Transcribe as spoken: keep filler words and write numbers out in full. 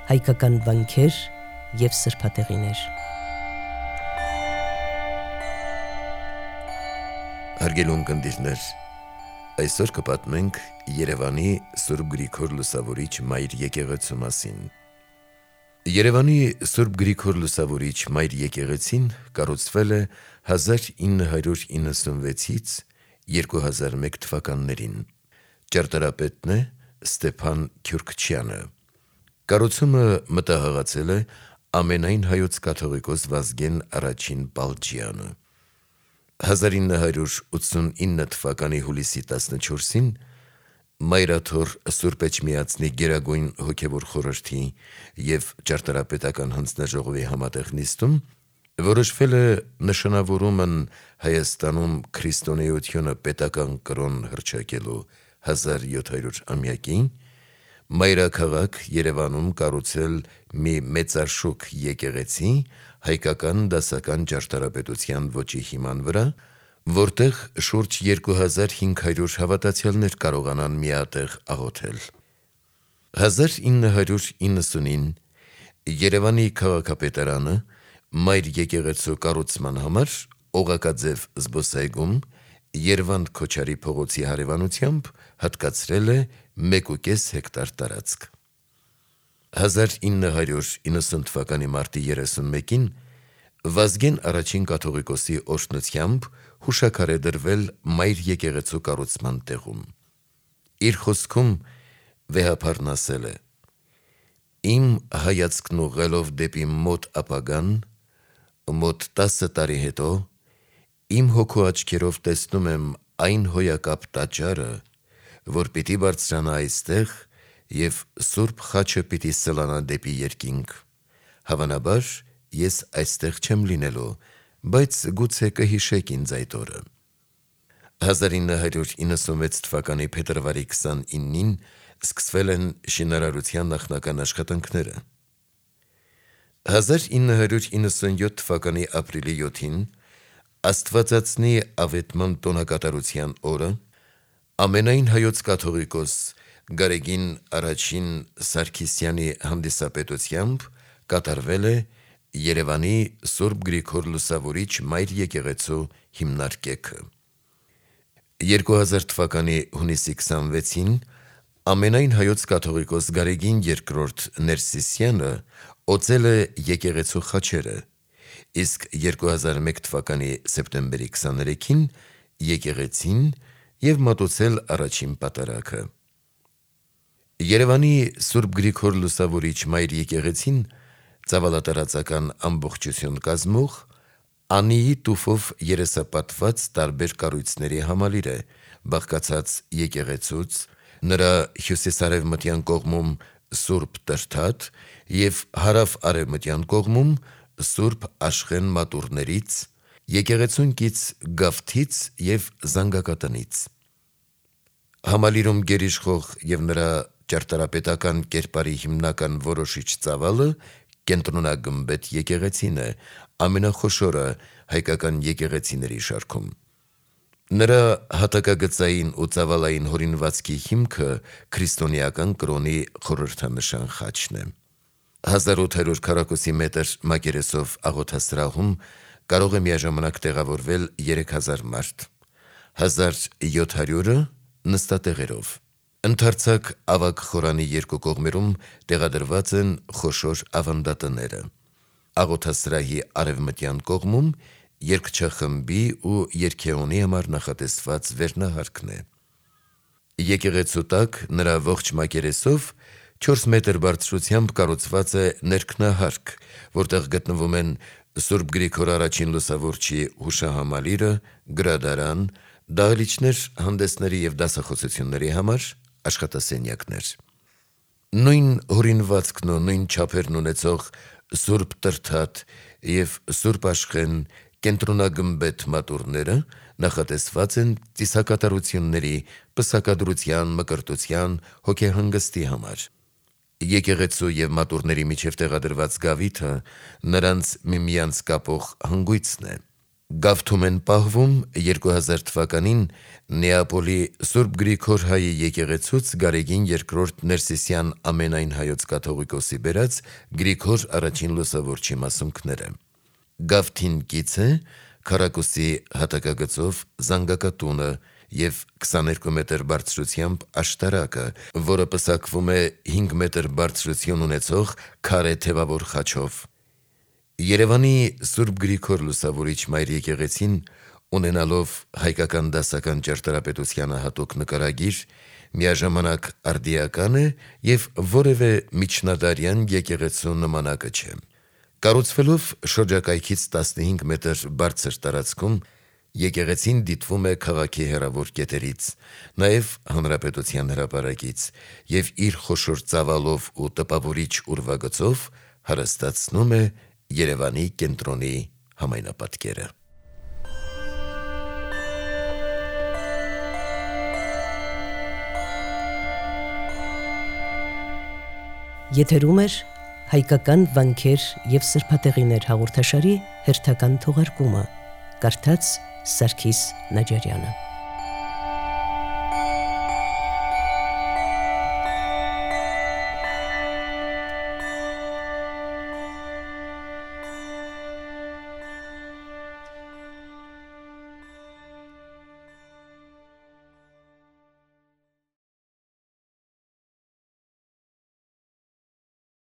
հայկական վանքեր և սրբատեղիներ։ Հարգելի ունկնդիրներ, այսօր կպատմենք Երևանի Սուրբ Գրիգոր Լուսավորիչ Մայր եկեղեցու մասին։ Երևանի Սուրբ Գրիգոր Լուսավորիչ Մայր եկեղեցին կառուցվել է հազար ինը հարյուր իննսունվեցից երկու հազար մեկ թվականներին։ Ճարտարապետն է Ստեփան Քյուրքչյանը։ Կառուցումը մտահղացել է ամենայն հայոց կաթողիկոս Վազգեն առաջին Պալջյանը։ հազար ինը հարյուր ութսունինը թվականի հուլիսի տասնչորսին Մայրաթոր Սուրբ Էջմիածնի Գերագույն հոգևոր խորհրդի և ճարտարապետական հանձնաժողովի համատեղ նիստում որոշվել է նշանավորումն Հայաստանում քրիստոնեությունը պետական կրոն հռչակելու հազար յոթ հարյուր ամյակին մայրաքաղաք Երևանում կառուցել մի մեծաշուք եկեղեցի հայկական դասական ճարտարապետության ոճի հիման վրա, որտեղ շուրջ երկու հազար հինգ հարյուր հավատացյալներ կարողանան միատեղ աղոթել։ հազար ինը հարյուր իննսունին Երևանի քաղաքապետարանը Մայր եկեղեցու կառուցման համար օղակաձև զբոսայգում Երվանդ Քոչարի փողոցի հարևանությամբ հատկացրել է մեկուկես հեկտար տարածք։ հազար ինը հարյուր իննսուն թվականի մարտի երեսունմեկին Վազգեն առաջին կաթողիկոսի օրհնությամբ հուշաքար է դրվել Մայր եկեղեցու կառուցման տեղում։ Իր խոսքում վեհափարն ասել է. «Իմ հայացքն ուղղելով դեպի մոտ ապագան, մոտ տասը տարի հետո, իմ հոգու աչքերով տեսնում եմ այն հոյակապ տաճարը, որ պիտի բարձրանա այստեղ և Սուրբ խաչը պիտի սլանա դեպի երկինք։ Հավանաբար ես այստեղ չեմ լինելու, բայց գուցե կհիշեք ինձ այդ օրը»։ հազար ինը հարյուր իննսունվեց թվականի փետրվարի քսանինին սկսվել են շինարարության նախնական աշխատանքները։ հազար ինը հարյուր իննսունյոթ թվականի ապրիլի յոթին Աստվածածնի Ավետման տոնակատարության օրը ամենայն հայոց կաթողիկոս Գարեգին առաջին Սարգիսյանի հանդիսապետությամբ կատարվել է Երևանի Սուրբ Գրիգոր Լուսավորիչ Մայր եկեղեցու հիմնարկեքը։ երկու հազար թվականի հունիսի քսանվեցին ամենայն հայոց կաթողիկոս Գարեգին երկրորդ Ներսիսյանը օծել է եկեղեցու խաչերը, իսկ երկու հազար մեկ թվականի սեպտեմբերի քսաներեքին եկեղեցին և մատուցել առաջին պատարագը։ Երևանի Սուրբ Գրիգոր Լուսավորիչ Մայր եկեղեցին ծավալատարածական ամբողջություն կազմող անիի տուֆով երեսապատված տարբեր կառույցների համալիր է, բաղկացած եկեղեցուց, նրա հյուսիսարևմտյան կողմում Սուրբ Տրդատ և հարավ-արևմտյան կողմում Սուրբ Աշխեն մատուռներից, եկեղեցուն կից գավթից և զանգակատնից։ Համալիրում գերիշխող և նրա ճարտարապետական կերպարի հիմնական որոշիչ ծավալը կենտրոնագմբեթ եկեղեցին է, ամենախոշորը հայկական եկեղեցիների շարքում։ Նրա հատակագծային ու ծավալային հորինվածքի հիմքը քրիստոնեական կրոնի խորհրդանշան խաչն է։ հազար ութ հարյուր քառակուսի մետր մակերեսով աղոթասրահում կարող է միաժամանակ տեղավորվել երեք հազար մարդ, հազար յոթ հարյուրը նստատեղերով։ Ընդարձակ ավագ խորանի երկու կողմերում տեղադրված են խոշոր ավանդատները։ Աղոթասրահի արևմտյան կողմում երգչախմբի ու երգեոնի համար նախատեսված վերնահարկն է։ Եկեղեցու տակ նրա ողջ մակերեսով չորս մետր բարձրությամբ կառուցված է ներքնահարկ, որտեղ գտնվում են Սուրբ Գրիգոր առաջին Լուսավորչի հուշահամալիրը, գրադարան, դահլիճներ հանդեսների և դասախոսությունների համար, աշխատասենյակներ։ Նույն հորինվածքն ու նույն չափերն ունեցող Սուրբ Տրդատ և Սուրբ Աշխեն կենտրոնագմբեթ մատուռները նախատեսված են ծիսակատարությունների, պսակադրության, մկրտության, հոգեհանգստի համար։ Եկեղեցու և մատուռների միջև տեղադրված գավիթը նրանց միմյանց կապող հանգույցն է։ Գավթում են պահվում երկու հազար թվականին Նեապոլի Սուրբ Գրիգոր Հայի եկեղեցուց Գարեգին երկրորդ Ներսիսյան ամենայն հայոց կաթողիկոսի բերած Գրիգոր առաջին լուսավորչի մասունքները։ Գավթին կից է քառակուսի հատակագծով զանգակատունը և քսաներկու մետր բարձրությամբ աշտարակը, որը պսակվում է հինգ մետր բարձրություն ունեցող քարե թևավոր խաչով։ Երևանի Սուրբ Գրիգոր Լուսավորիչ Մայր եկեղեցին, ունենալով հայկական դասական ճարտարապետությանը հատուկ նկարագիր, միաժամանակ արդիական է և որևէ միջնադարյան եկեղեցու նմանակը չէ։ Կառուցվելով շրջակայքից տասնհինգ մետր բարձր տարածքում, եկեղեցին դիտվում է քաղաքի հեռավոր կետերից, նաև հանրապետության հրապարակից և իր խոշոր ծավալով ու տպավորիչ ուրվագծով հարստացնում է Երևանի կենտրոնի համայնապատկերը։ Եթերում էր հայկական վանքեր և սրբատեղիներ հաղորդաշարի հերթական թողարկումը, կարդաց Սարգիս Նաջարյանը։